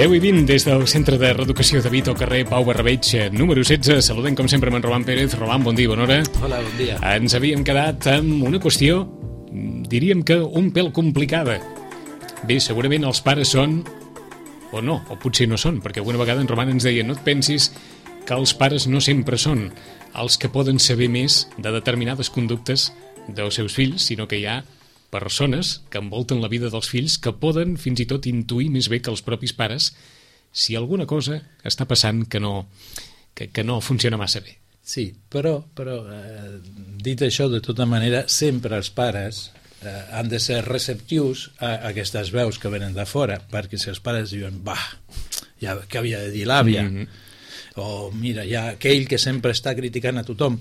10 i 20 des del Centre de Reeducació de Vito, carrer Pau Barrabeig, número 16. Saludem, com sempre, amb en Roman Pérez. Roman, bon dia, bona hora. Hola, bon dia. Ens havíem quedat amb una qüestió, diríem que un pèl complicada. Bé, segurament els pares són, o no, o potser no són, perquè alguna vegada en Roman ens deia: no et pensis que els pares no sempre són els que poden saber més de determinades conductes dels seus fills, sinó que hi ha persones que envolten la vida dels fills que poden fins i tot intuir més bé que els propis pares si alguna cosa està passant que no funciona massa bé. Sí, però dit això, de tota manera, sempre els pares han de ser receptius a aquestes veus que venen de fora, perquè si els pares diuen, ja què havia de dir l'àvia, o mira, hi ha aquell que sempre està criticant a tothom,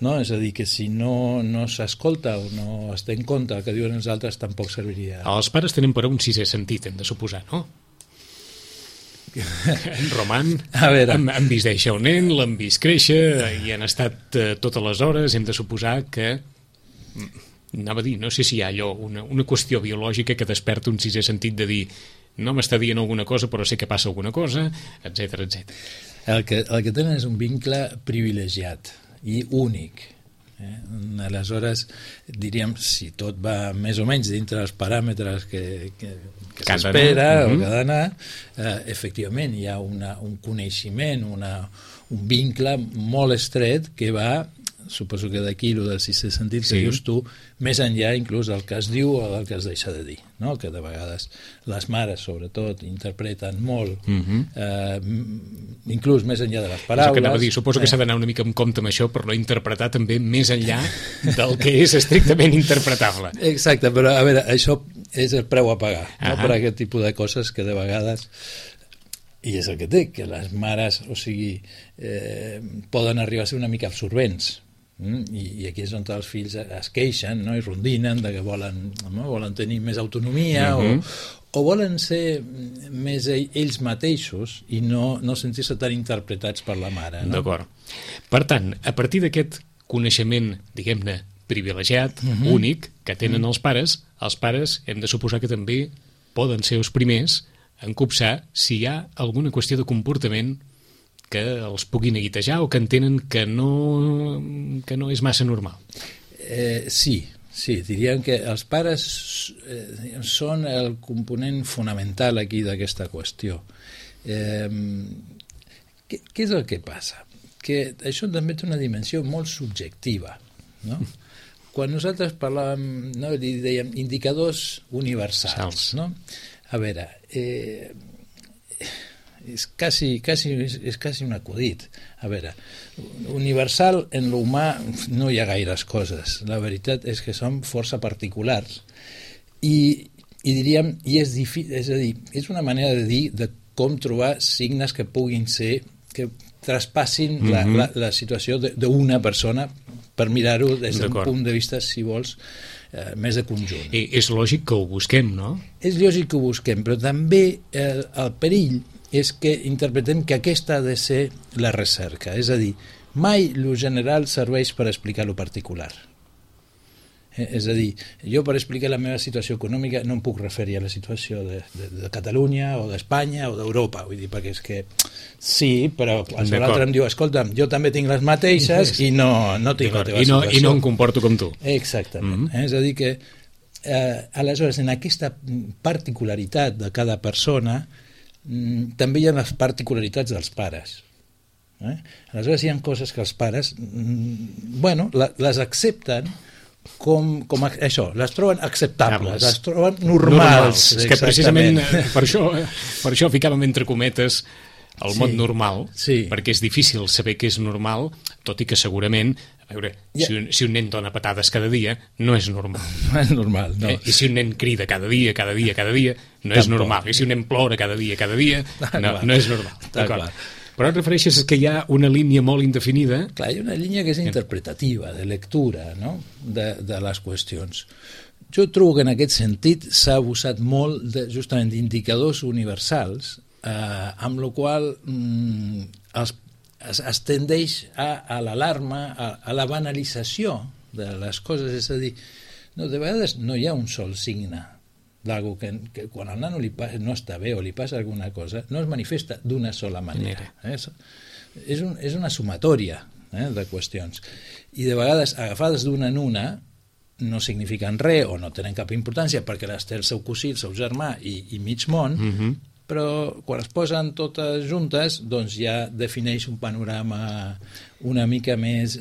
no? És a dir, que si no s'escolta o no es té en compte el que diuen els altres, tampoc serviria. Els pares tenen però un sisè sentit, hem de suposar, no? En Roman, han vist néixer un nen, l'han vist créixer i han estat totes les hores. Hem de suposar que, anava a dir, no sé si hi ha allò, una qüestió biològica que desperta un sisè sentit de dir: no m'està dient alguna cosa però sé que passa alguna cosa, etc etc. El que tenen és un vincle privilegiat i únic. Aleshores, diríem, si tot va més o menys dintre dels paràmetres que s'espera o que ha d'anar, efectivament hi ha un coneixement, un vincle molt estret que va, suposo que d'aquí el del sisè sentit que dius tu, més enllà inclús del que es diu o del que es deixa de dir, no? Que de vegades les mares sobretot interpreten molt, inclús més enllà de les paraules. És que anava a dir, suposo que s'ha d'anar una mica en compte amb això per no interpretar també més enllà del que és estrictament interpretable. Exacte, però a veure, això és el preu a pagar, no? Per aquest tipus de coses que de vegades, i és el que té, que les mares, o sigui, poden arribar a ser una mica absorbents. I aquí és on els fills es queixen, no? I rondinen de que volen tenir més autonomia o volen ser més ells mateixos i no sentir-se tan interpretats per la mare, no? D'acord. Per tant, a partir d'aquest coneixement, diguem-ne, privilegiat, únic, que tenen els pares hem de suposar que també poden ser els primers en copsar si hi ha alguna qüestió de comportament que els pugui neguitejar o que entenen que no és massa normal. Sí, diríem que els pares són el component fonamental aquí d'aquesta qüestió. Què és el que passa? Que això també té una dimensió molt subjectiva, no? Quan nosaltres parlàvem, no, dèiem indicadors universals, no? A veure, és quasi un acudit. A veure, universal en l'humà no hi ha gaires coses. La veritat és que som força particulars i diríem, és difícil, és a dir, és una manera de dir de com trobar signes que puguin ser, que traspassin la situació d'una persona, per mirar-ho des d'un punt de vista, si vols, més de conjunt. És lògic que ho busquem, no? És lògic que ho busquem, però també el perill és que interpretem que aquesta ha de ser la recerca. És a dir, mai lo general serveix per explicar lo particular. És a dir, jo per explicar la meva situació econòmica no em puc referir a la situació de Catalunya o d'Espanya o d'Europa. Vull dir, perquè és que sí, però l'altre em diu, escolta, jo també tinc les mateixes i no tinc la teva situació. I no em comporto com tu. Exactament. És a dir que, aleshores, en aquesta particularitat de cada persona també hi ha les particularitats dels pares. Aleshores hi ha coses que els pares les accepten com això, les troben acceptables, les troben normals. És que precisament per això ficàvem entre cometes el mot normal, perquè és difícil saber què és normal, tot i que segurament, a veure, si un nen dona patades cada dia, no és normal. No és normal, no. I si un nen crida cada dia, no és normal. I si un nen plora cada dia, no és normal. D'acord. Però et refereixes que hi ha una línia molt indefinida? Clar, hi ha una línia que és interpretativa, de lectura, no?, de les qüestions. Jo trobo que en aquest sentit s'ha abusat molt justament d'indicadors universals, amb la qual es tendeix a l'alarma, a la banalització de les coses. És a dir, de vegades no hi ha un sol signe d'algú que quan al nano no està bé o li passa alguna cosa, no es manifesta d'una sola manera. És una sumatòria de qüestions. I de vegades, agafades d'una en una, no signifiquen res o no tenen cap importància perquè les té el seu cosí, el seu germà i mig món, però quan es posen totes juntes doncs ja defineix un panorama una mica més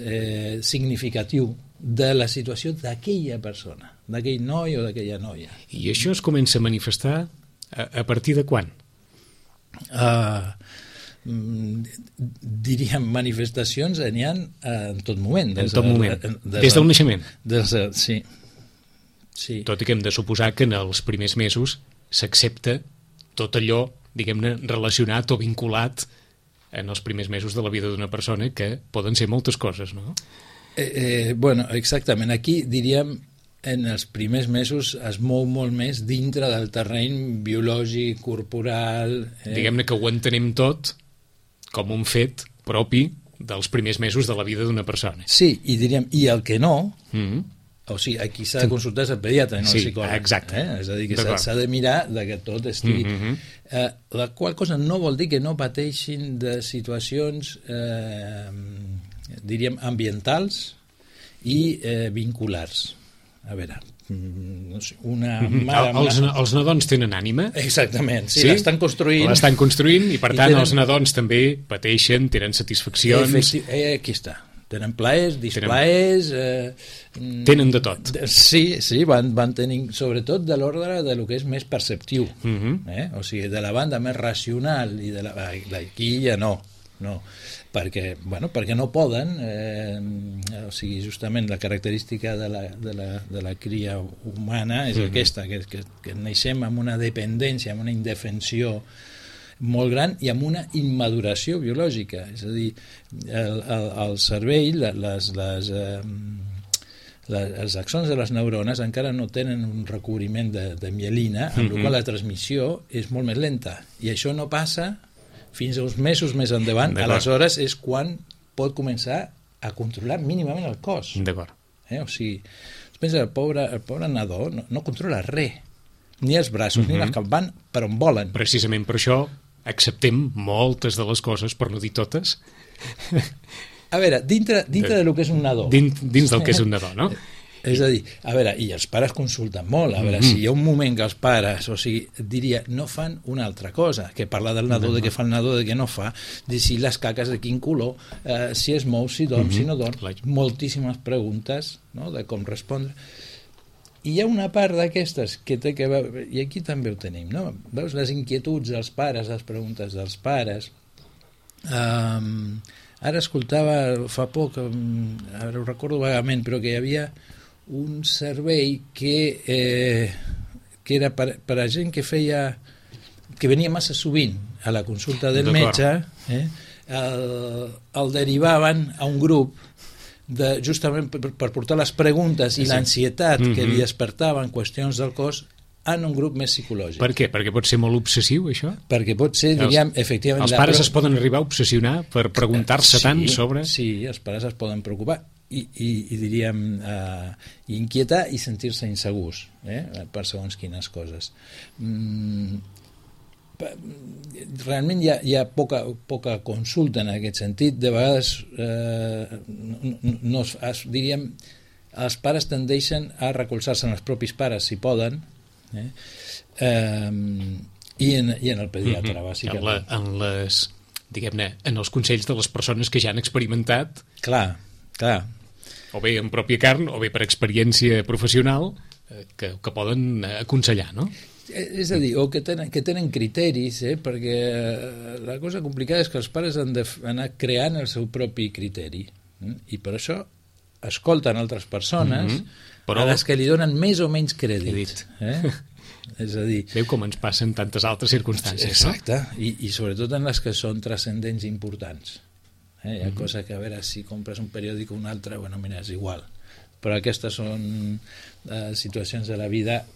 significatiu de la situació d'aquella persona, d'aquell noi o d'aquella noia. I això es comença a manifestar a partir de quan? Diríem, manifestacions n'hi ha en tot moment. En tot moment, des del naixement. Sí. Tot i que hem de suposar que en els primers mesos s'accepta tot allò, diguem-ne, relacionat o vinculat en els primers mesos de la vida d'una persona, que poden ser moltes coses, no? Bueno, exactament. Aquí, diríem, en els primers mesos es mou molt més dintre del terreny biològic, corporal... Diguem-ne que ho entenem tot com un fet propi dels primers mesos de la vida d'una persona. Sí, i diríem, i el que no... O sigui, aquí s'ha de consultar el pediatre, no el psicòleg. Exacte. És a dir, que s'ha de mirar que tot estigui... La qual cosa no vol dir que no pateixin de situacions, diríem, ambientals i vinculars. A veure, no sé, una mare... Els nadons tenen ànima? Exactament, sí? L'estan construint. L'estan construint i, per tant, els nadons també pateixen, tenen satisfaccions... Aquí està. Tenen plaers, displaers... Tenen de tot. Sí, van tenint, sobretot de l'ordre de lo que és més perceptiu. O sigui, de la banda més racional i de aquí ja no. Perquè no poden, o sigui, justament la característica de la cria humana és aquesta, que naixem amb una dependència, amb una indefensió molt gran i amb una immaduració biològica, és a dir, el cervell, els axons de les neurones encara no tenen un recobriment de mielina, amb la qual la transmissió és molt més lenta, i això no passa fins a uns mesos més endavant. Aleshores és quan pot començar a controlar mínimament el cos. D'acord. O sigui, pensa, el pobre nadó no controla res, ni els braços, ni les que van per on volen. Precisament per això acceptem moltes de les coses, per no dir totes. A veure, dintre del que és un nadó. Dins del que és un nadó, no? És a dir, a veure, i els pares consulten molt, a veure, si hi ha un moment que els pares, o sigui, diria, no fan una altra cosa, que parlar del nadó, de què fa el nadó, de què no fa, de si les caques de quin color, si es mou, si dorm, si no dorm, moltíssimes preguntes, no?, de com respondre. I hi ha una part d'aquestes que té que veure, i aquí també ho tenim, no? Veus les inquietuds dels pares, les preguntes dels pares. Ara escoltava fa poc, ara ho recordo vagament, però que hi havia un servei que era per a gent que venia massa sovint a la consulta del metge, el derivaven a un grup justament per portar les preguntes i l'ansietat que li despertaven qüestions del cos en un grup més psicològic. Per què? Perquè pot ser molt obsessiu, això? Perquè pot ser, diríem, efectivament... Els pares es poden arribar a obsessionar per preguntar-se tant sobre... Sí, els pares es poden preocupar i diríem, inquietar i sentir-se insegurs per segons quines coses. Realment hi ha poca consulta en aquest sentit. De vegades diríem, els pares tendeixen a recolzar-se en els propis pares si poden, i en el pediatre, bàsicament. Diguem-ne, en els consells de les persones que ja han experimentat, clar, o bé en pròpia carn o bé per experiència professional, que poden aconsellar, no? És a dir, o que tenen criteris, perquè la cosa complicada és que els pares han d'anar creant el seu propi criteri, i per això escolten altres persones a les que li donen més o menys crèdit. És a dir... Veu com ens passen tantes altres circumstàncies, exacte, no? I sobretot en les que són transcendents importants. Hi ha coses que, a veure, si compres un periòdic o un altre, bueno, mira, és igual. Però aquestes són situacions de la vida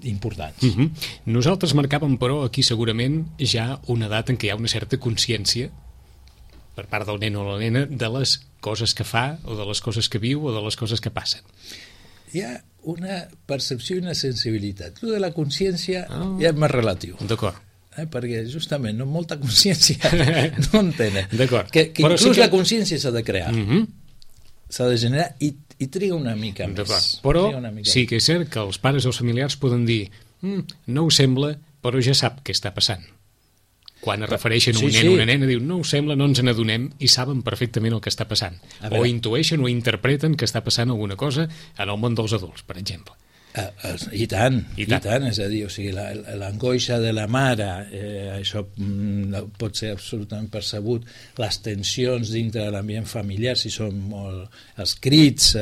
importants. Nosaltres marcàvem, però, aquí segurament ja una edat en què hi ha una certa consciència per part del nen o la nena de les coses que fa o de les coses que viu o de les coses que passen. hi ha una percepció i una sensibilitat. Lo de la consciència ja és més relatiu. D'acord. Perquè justament no molta consciència no en tenen. D'acord. Que inclús la consciència s'ha de crear, s'ha de generar i triga una mica més. Però sí que és cert que els pares o els familiars poden dir no ho sembla, però ja sap què està passant. Quan es refereixen a un nen o una nena, diu no ho sembla, no ens n'adonem, i saben perfectament el que està passant. O intueixen o interpreten que està passant alguna cosa en el món dels adults, per exemple. I tant, és a dir, o sigui, l'angoixa de la mare, això pot ser absolutament percebut, les tensions dintre de l'ambient familiar, si són molt els crits,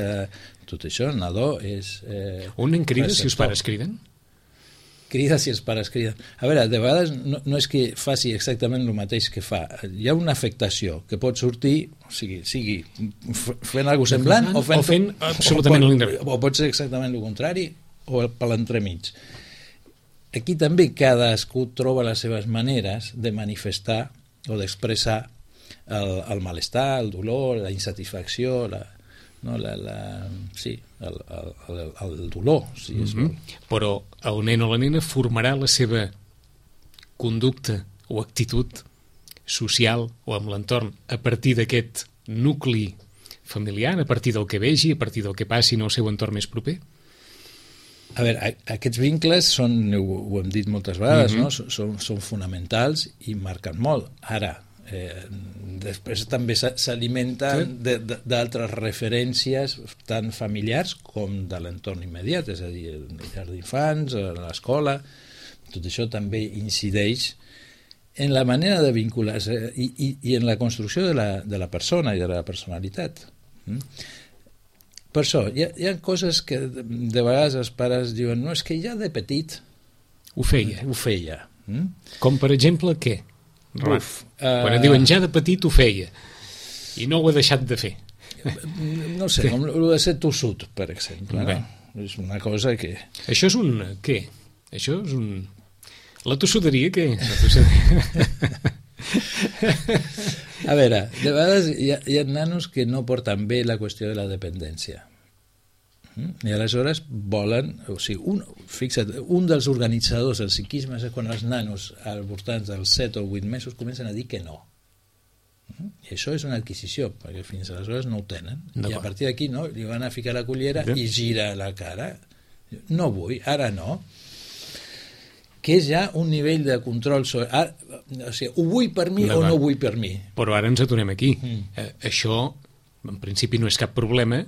tot això, el nadó és... Un nen crida si els pares criden? Crida si els pares criden. A veure, de vegades no és que faci exactament el mateix que fa. Hi ha una afectació que pot sortir, o sigui fent alguna cosa semblant o fent absolutament l'inrevés. O pot ser exactament el contrari o per l'entremig. Aquí també cadascú troba les seves maneres de manifestar o d'expressar el malestar, el dolor, la insatisfacció, el dolor, si és vol. Però el nen o la nena formarà la seva conducta o actitud social o amb l'entorn a partir d'aquest nucli familiar, a partir del que vegi, a partir del que passi en el seu entorn més proper? A veure, aquests vincles són, ho hem dit moltes vegades, no? Són fonamentals i marquen molt. Ara, després també s'alimenten d'altres referències tant familiars com de l'entorn immediat, és a dir, el llar d'infants, l'escola, tot això també incideix en la manera de vincular-se i en la construcció de la persona i de la personalitat. Per això, hi ha coses que de vegades els pares diuen no, és que ja de petit ho feia. Com per exemple què? Quan et diuen ja de petit ho feia i no ho ha deixat de fer, no sé, com el de ser tossut, per exemple, no? És una cosa que... Això és un... què? Això és un... La tossuderia, què? A veure, de vegades hi ha nanos que no porten bé la qüestió de la dependència i aleshores volen, o sigui, fixa't, un dels organitzadors del psiquisme és quan els nanos al voltant dels 7 o 8 mesos comencen a dir que no, i això és una adquisició perquè fins aleshores no ho tenen i a partir d'aquí no, li van a ficar la cullera i gira la cara, no vull, ara no, que és ja un nivell de control sobre, o sigui, ho vull per mi o no ho vull per mi. Però ara ens aturem aquí. Això en principi no és cap problema,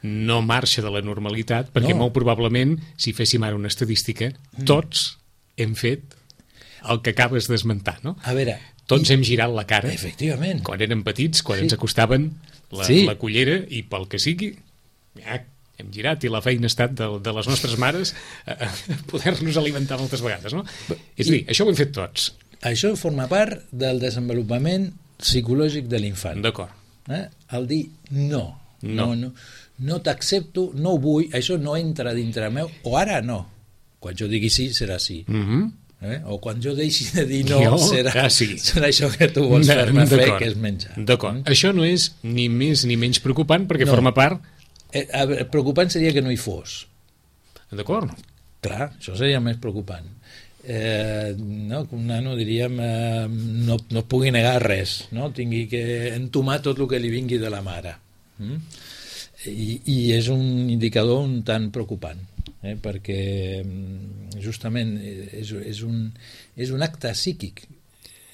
no marxa de la normalitat, perquè molt probablement, si féssim ara una estadística, tots hem fet el que acabes d'esmentar, no? A veure... Tots hem girat la cara. Efectivament. Quan érem petits, quan ens acostaven la cullera, i pel que sigui, hem girat, i la feina ha estat de les nostres mares poder-nos alimentar moltes vegades, no? És a dir, això ho hem fet tots. Això forma part del desenvolupament psicològic de l'infant. D'acord. El dir no t'accepto, no ho vull, això no entra dintre meu, o ara no. Quan jo digui sí, serà sí. O quan jo deixi de dir no, serà això que tu vols fer-me fer, que és menjar. D'acord. Això no és ni més ni menys preocupant, perquè forma part... Preocupant seria que no hi fos. D'acord. Clar, això seria més preocupant. No, un nano, diríem, no pugui negar res, no? Tingui que entomar tot el que li vingui de la mare. I és un indicador un tant preocupant, perquè justament és un acte psíquic,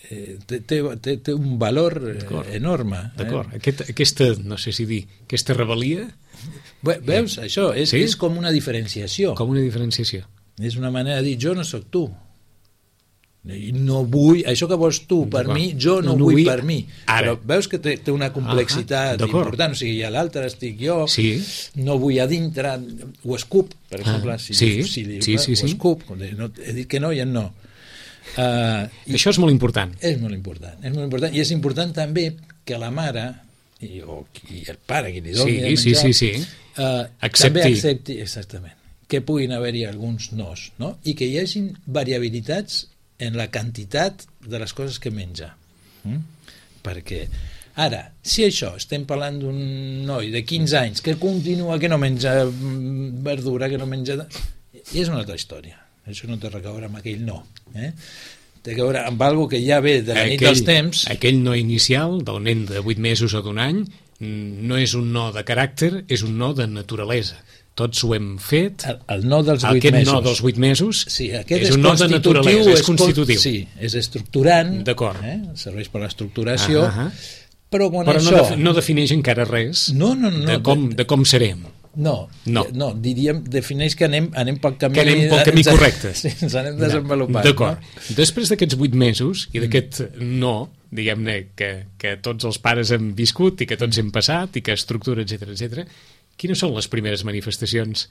té un valor enorme. D'acord. Aquesta, no sé si dir, aquesta rebel·lia... Veus, això és com una diferenciació. Com una diferenciació. És una manera de dir, jo no sóc tu. No vull, això que vols tu per mi, jo no ho vull per mi. Però veus que té una complexitat important, o sigui, a l'altre estic jo, no vull a dintre, ho escup, per exemple, ho escup, he dit que no i en no. Això és molt important. És molt important, i és important també que la mare i el pare que li doni de menjar també accepti exactament que puguin haver-hi alguns nos, no? I que hi hagin variabilitats en la quantitat de les coses que menja, perquè Ara, si això, estem parlant d'un noi de 15 anys que continua, que no menja verdura, que no menja... I és una altra història. Això no té res a veure amb aquell no. Té a veure amb alguna que ja ve de la nit dels temps. Aquell no inicial, del nen de 8 mesos o d'1 any, no és un no de caràcter, és un no de naturalesa. Tots ho hem fet. El no dels 8 mesos. Aquest no dels 8 mesos és un no de naturalesa, és constitutiu. Sí, és estructurant, serveix per l'estructuració, però no defineix encara res de com serem. No, diríem, defineix que anem pel camí... Que anem pel camí correcte. Sí, ens anem desenvolupant. D'acord. No? Després d'aquests 8 mesos i d'aquest no, diguem-ne, que tots els pares hem viscut i que tots hem passat i que estructura, etc, quines són les primeres manifestacions,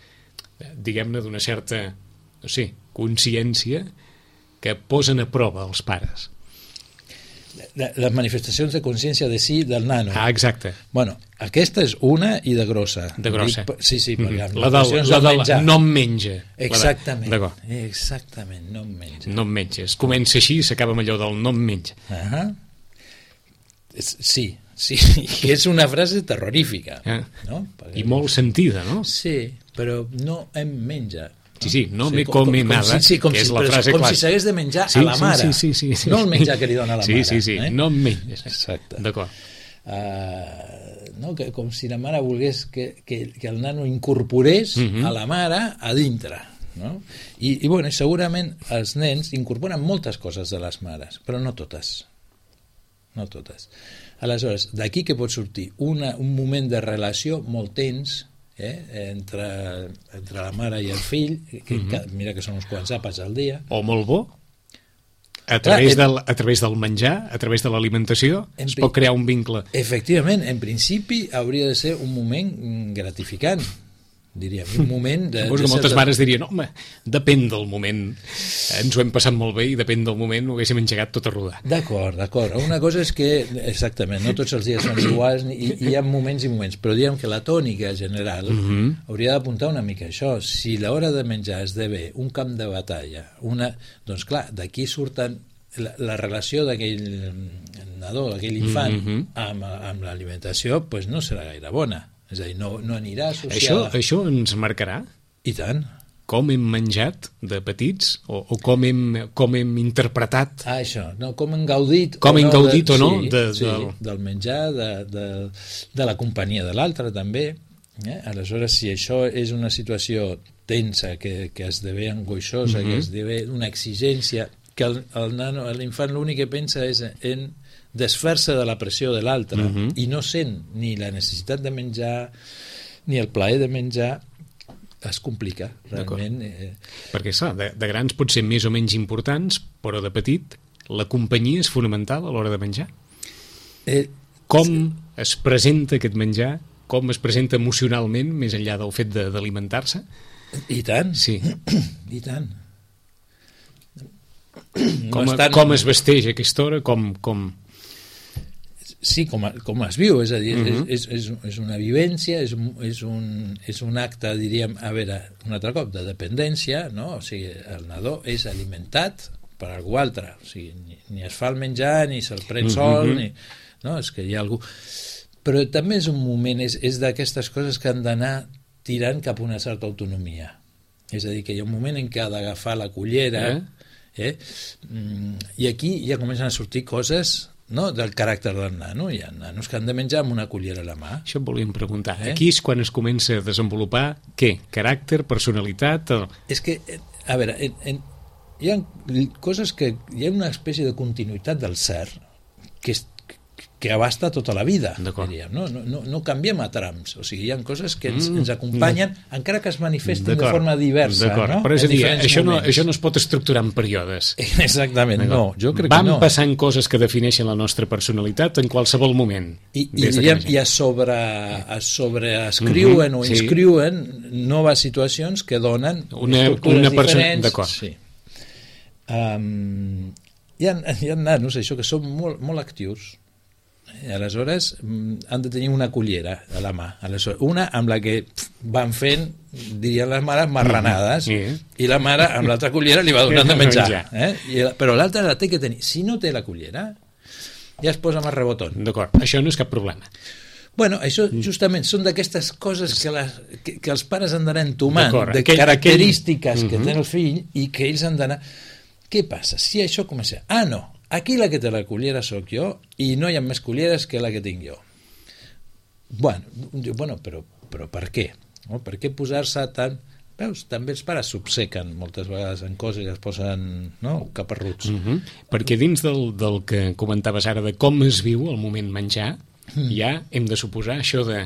diguem-ne, d'una certa, no sé, consciència que posen a prova els pares? Les manifestacions de consciència de si del nano. Exacte. Bueno, aquesta és una i de grossa. De grossa. Sí, la del no em menja. Exactament, no em menja. No em menja. Es comença així i s'acaba amb allò del no em menja. Sí, que és una frase terrorífica. No? I molt sentida, no? Sí, però no em menja. Sí, no me come nada, que és la frase clàssica. Com si s'hagués de menjar a la mare, no el menjar que li dona a la mare. Sí, no em menges. Exacte. D'acord. Com si la mare volgués que el nano incorporés a la mare a dintre. No? I bueno, segurament els nens incorporen moltes coses de les mares, però no totes. No totes. Aleshores, d'aquí que pot sortir un moment de relació molt tens, entre la mare i el fill, mira que són uns quants àpats al dia. O molt bo, a través del menjar, a través de l'alimentació, es pot crear un vincle. Efectivament, en principi hauria de ser un moment gratificant, diríem, un moment de... Suposo que moltes mares dirien, home, depèn del moment, ens ho hem passat molt bé i depèn del moment ho haguéssim engegat tot a rodar. D'acord. Una cosa és que, exactament, no tots els dies són iguals i hi ha moments i moments, però diguem que la tònica general hauria d'apuntar una mica això. Si l'hora de menjar esdevé un camp de batalla, doncs clar, d'aquí surten la relació d'aquell nadó, d'aquell infant amb l'alimentació, doncs no serà gaire bona. És a dir, no anirà associada... Això ens marcarà? I tant. Com hem menjat de petits o com hem interpretat... Això, no, com hem gaudit... Com hem gaudit o no? Del menjar, de la companyia de l'altre, també. Aleshores, si això és una situació tensa, que esdevé angoixosa, que esdevé una exigència, que l'infant l'únic que pensa és en desfer-se de la pressió de l'altre i no sent ni la necessitat de menjar ni el plaer de menjar, es complica realment. Perquè clar, de grans pot ser més o menys importants, però de petit la companyia és fonamental a l'hora de menjar. Com es presenta aquest menjar, com es presenta emocionalment més enllà del fet d'alimentar-se? I tant, sí. I tant. Com es vesteix a aquesta hora, Sí, com es viu, és a dir, és una vivència, és un acte, diríem, a veure, un altre cop, de dependència, no? O sigui, el nadó és alimentat per algú altre, o sigui, ni es fa el menjar, ni se'l pren sol, no? És que hi ha algú... Però també és un moment, és d'aquestes coses que han d'anar tirant cap a una certa autonomia. És a dir, que hi ha un moment en què ha d'agafar la cullera, i aquí ja comencen a sortir coses... No, del caràcter del nano. Hi ha nanos que han de menjar amb una cullera a la mà. Això em volíem preguntar. Aquí és quan es comença a desenvolupar què? Caràcter, personalitat? És que, a veure, hi ha coses que... Hi ha una espècie de continuïtat del ser que abasta tota la vida, diríem. No canviem a trams. O sigui, hi ha coses que ens acompanyen, encara que es manifestin de forma diversa. No? Però és a dir, això no es pot estructurar en períodes. Exactament, no. Jo crec que no. Van passant coses que defineixen la nostra personalitat en qualsevol moment. I es sobreescriuen o inscriuen noves situacions que donen estructures diferents. D'acord. Sí. Hi ha nanos, això, que són molt actius. Aleshores han de tenir una cullera a la mà, una amb la que van fent, dirien les mares, marranades, i la mare amb l'altra cullera li va donant de menjar, però l'altra la té que tenir. Si no té la cullera, ja es posa més rebotón. D'acord, això no és cap problema. Bueno, això justament són d'aquestes coses que els pares han d'anar entomant, de característiques que té el fill i que ells han d'anar... Què passa? Si això comença... No, aquí la que té la cullera sóc jo i no hi ha més culleres que la que tinc jo. Bueno, però per què? No? Per què posar-se tant... Veus, també els pares s'obsequen moltes vegades en coses i es posen caparruts. Perquè dins del que comentaves ara de com es viu el moment menjar, ja hem de suposar això de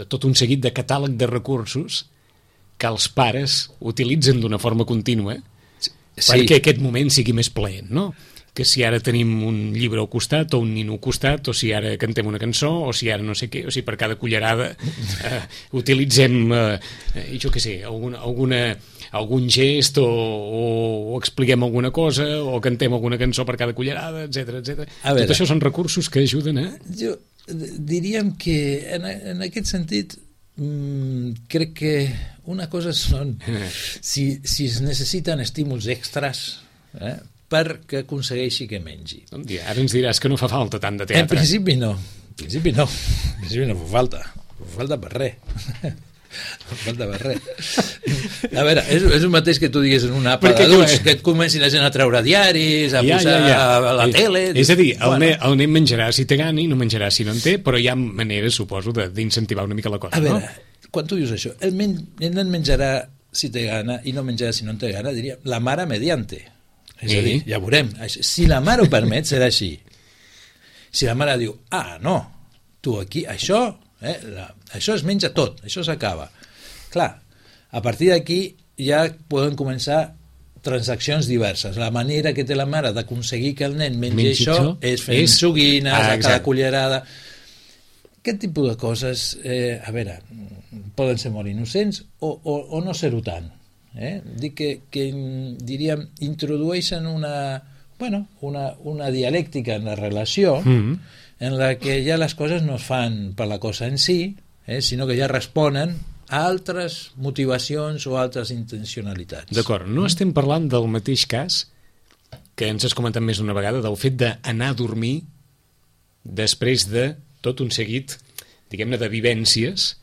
tot un seguit de catàleg de recursos que els pares utilitzen d'una forma contínua perquè aquest moment sigui més plaent, no? Que si ara tenim un llibre al costat o un nino al costat, o si ara cantem una cançó, o si ara no sé què, o si per cada cullerada utilitzem, jo què sé, algun gest o expliquem alguna cosa o cantem alguna cançó per cada cullerada, etc. Tot això són recursos que ajuden a... Jo diríem que en aquest sentit crec que una cosa són si es necessiten estímuls extras perquè aconsegueixi que mengi. Ara ens diràs que no fa falta tant de teatre. En principi no fa falta per res. No falta per res. A veure, és el mateix que tu digues en una àpat d'adults, que et comencin la gent a treure diaris, a posar a la tele... És a dir, el nen menjarà si té gana i no menjarà si no en té, però hi ha maneres, suposo, d'incentivar una mica la cosa. A veure, quan tu dius això, el nen menjarà si té gana i no menjarà si no en té gana, diria la mare mediante. És a dir, ja veurem. Si la mare ho permet, serà així. Si la mare diu, no, tu aquí, això es menja tot, això s'acaba. Clar, a partir d'aquí ja poden començar transaccions diverses. La manera que té la mare d'aconseguir que el nen mengi això és fent joguines a cada cullerada. Aquest tipus de coses, a veure, poden ser molt innocents o no ser-ho tant. Dic que diríem, introdueixen una dialèctica en la relació en la que ja les coses no es fan per la cosa en si, sinó que ja responen a altres motivacions o altres intencionalitats. D'acord, no estem parlant del mateix cas que ens has comentat més d'una vegada, del fet d'anar a dormir després de tot un seguit, diguem-ne, de vivències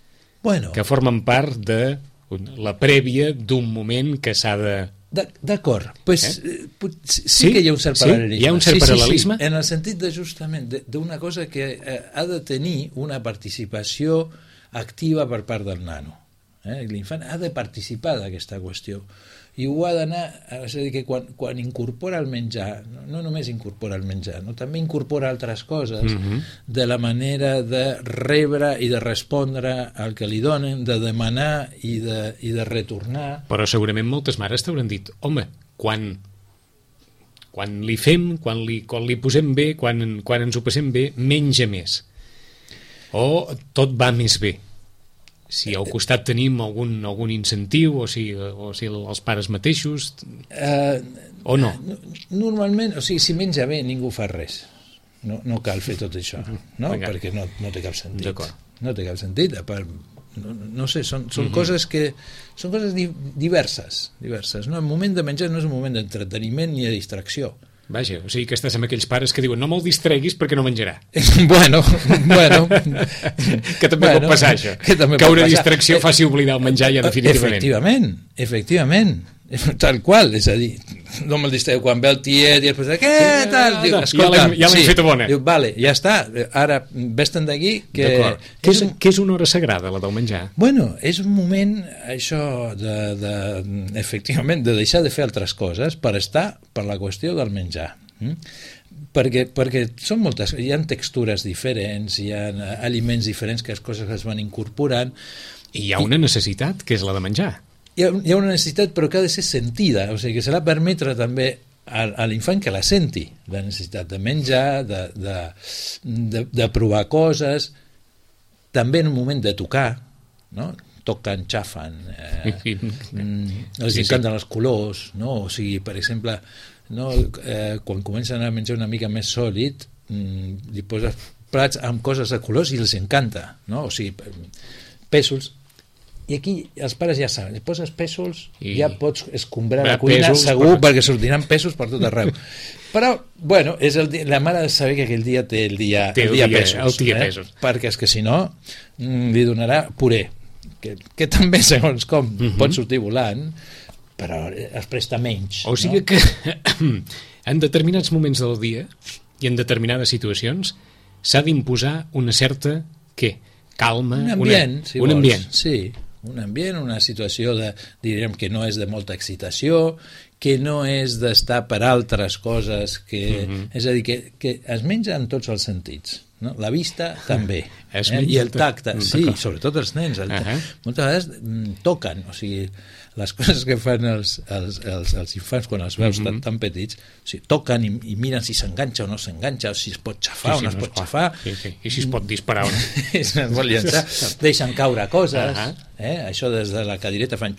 que formen part de la prèvia d'un moment que s'ha de... D'acord, sí que hi ha un cert paral·lelisme. Hi ha un cert paral·lelisme? En el sentit de justament d'una cosa que ha de tenir una participació activa per part del nano. L'infant ha de participar d'aquesta qüestió i ho ha d'anar, és a dir, que quan incorpora el menjar, no només incorpora el menjar, també incorpora altres coses de la manera de rebre i de respondre al que li donen, de demanar i de retornar. Però segurament moltes mares t'hauran dit, home, quan li fem, quan li posem bé, quan ens ho passem bé, menja més. O tot va més bé. Si al costat tenim algun incentiu o si els pares mateixos o no. Normalment, o sigui, si menja bé ningú fa res, no cal fer tot això, no? Perquè no té cap sentit. No té cap sentit, no sé, són coses que són coses diverses, no? El moment de menjar no és un moment d'entreteniment ni de distracció. Vaja, o sigui que estàs amb aquells pares que diuen no me'l distreguis perquè no menjarà. Bueno. Que també pot passar això. Que una distracció faci oblidar el menjar ja definitivament. Efectivament. Tal qual, és a dir, no me'l distreu quan ve el tiet i després què tal? Diu, escolta, ja l'hem fet bona. Diu, vale, ja està, ara vés-te'n d'aquí. Què és una hora sagrada, la del menjar? Bueno, és un moment, això, efectivament, de deixar de fer altres coses per estar per la qüestió del menjar. Perquè són moltes, hi ha textures diferents, hi ha aliments diferents, que les coses es van incorporant. I hi ha una necessitat, que és la de menjar. Hi ha una necessitat, però que ha de ser sentida, o sigui, que s'ha de permetre també a l'infant que la senti, la necessitat de menjar, de provar coses, també en un moment de tocar, no? Toquen, xafen, els encanten els colors, no? O sigui, per exemple, no? Quan comencen a menjar una mica més sòlid, li poses plats amb coses de colors i els encanta, no? O sigui, pèsols, I aquí els pares ja saben, poses pèsols, ja pots escombrar la cuina cuina segur, perquè sortiran pèsols per tot arreu. Però, bueno, és la mare ha de saber que aquell dia té el dia pèsols. Perquè és que si no li donarà puré, que també segons com pot sortir volant, però es presta menys. O sigui que en determinats moments del dia i en determinades situacions s'ha d'imposar una certa, què? Calma? Un ambient, si vols. Un ambient. Sí, un ambient, una situació diríem que no és de molta excitació, que no és d'estar per altres coses, és a dir, que es menja en tots els sentits. No? La vista també, i el tacte, sí, sobretot els nens, moltes vegades toquen, o sigui, les coses que fan els infants quan els veus tan petits, o sigui, toquen i miren si s'enganxa o no s'enganxa, o si es pot xafar o no es pot xafar, i si es pot disparar o no. Es pot llançar, deixen caure coses, això des de la cadireta fan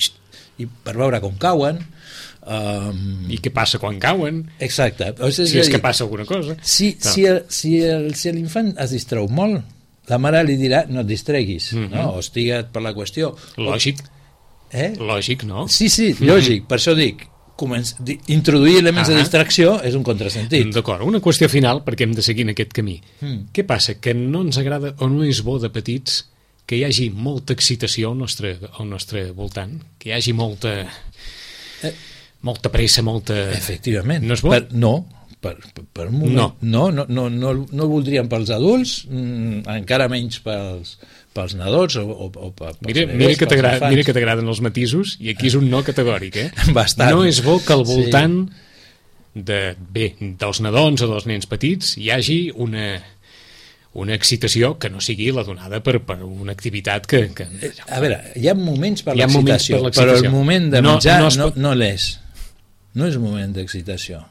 i per veure com cauen, i què passa quan cauen, exacte, si és que passa alguna cosa. Si l'infant es distreu molt, la mare li dirà no et distreguis, no? O estigua't per la qüestió. Lògic, no? Sí, lògic, per això dic, introduir elements de distracció és un contrasentit. D'acord, una qüestió final, perquè hem de seguir en aquest camí. Què passa? Que no ens agrada o no és bo de petits que hi hagi molta excitació al nostre voltant, que hi hagi molta pressa, Efectivament. No és bo? Per un moment. No ho voldríem pels adults, encara menys pels nadons o pels mira que t'agraden els matisos, i aquí és un no categòric, Bastant. No és bo que al voltant dels nadons o dels nens petits hi hagi una excitació que no sigui la donada per una activitat que... A veure, hi ha moments per l'excitació, però el moment de menjar no l'és. No és un moment d'excitació,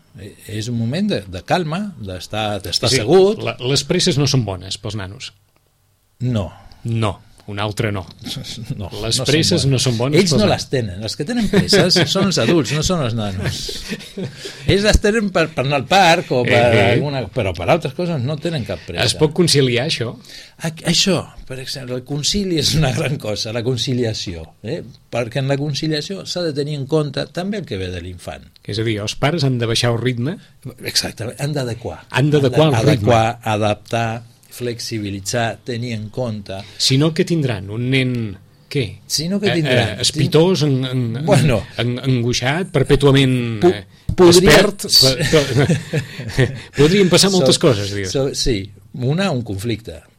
és un moment de calma, d'estar assegut. Les presses no són bones pels nanos. No, un altre no. Les no presses no són bones. Ells no les tenen. Els que tenen presses són els adults, no són els nanos. Ells les tenen per anar al parc o però per altres coses no tenen cap pressa. Es pot conciliar això? Això, per exemple, el concili és una gran cosa, la conciliació, perquè en la conciliació s'ha de tenir en compte també el que ve de l'infant. És a dir, els pares han de baixar el ritme? Exactament, han d'adequar. Han d'adequar el ritme. Adaptar, flexibilitzar, tenir en compte. Si no, què tindran? Un nen, què? Si no, què tindran? Espitós, angoixat, perpètuament expert? Podrien passar moltes coses, dius. Sí, un conflicte.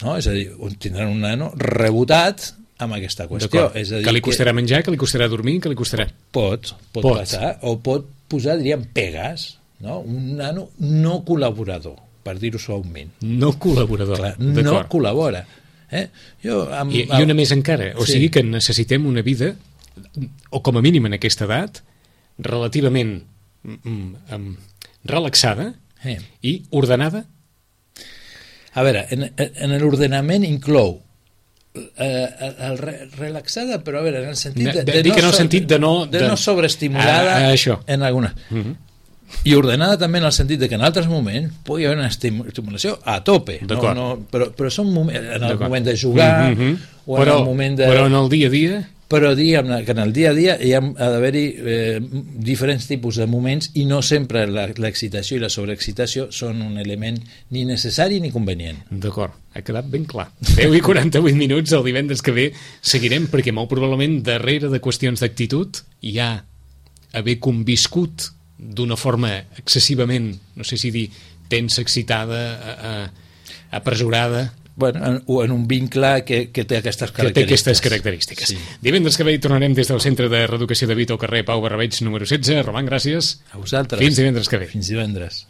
No? És a dir, tindran un nano rebotat amb aquesta qüestió. És a dir, que li costarà menjar, que li costarà dormir, que li costarà... Pot passar, o pot posar, diríem, pegues, no? Un nano no col·laborador, per dir-ho suaument. No col·laborador, d'acord. No col·labora. I una més encara, o sigui que necessitem una vida, o com a mínim en aquesta edat, relativament relaxada i ordenada. A veure, en l'ordenament inclou relaxada, però a veure, en el sentit de no sobreestimulada en alguna... I ordenada també en el sentit de que en altres moments pugui haver una estimulació a tope, però són moments, en el moment de jugar o en el moment de... Però en el dia a dia... Però diguem que en el dia a dia hi ha d'haver-hi diferents tipus de moments i no sempre l'excitació i la sobreexcitació són un element ni necessari ni convenient. D'acord, ha quedat ben clar. 10:48 minuts, el divendres que ve seguirem, perquè molt probablement darrere de qüestions d'actitud hi ha haver conviscut d'una forma excessivament, no sé si dir, tensa, excitada, apresurada... o en un vincle que té aquestes característiques. Que té aquestes característiques. Sí. Divendres que ve hi tornarem des del Centre de Reeducació de Vito al carrer Pau Barrabeig, número 16. Roman, gràcies. A vosaltres. Fins divendres que ve. Fins divendres.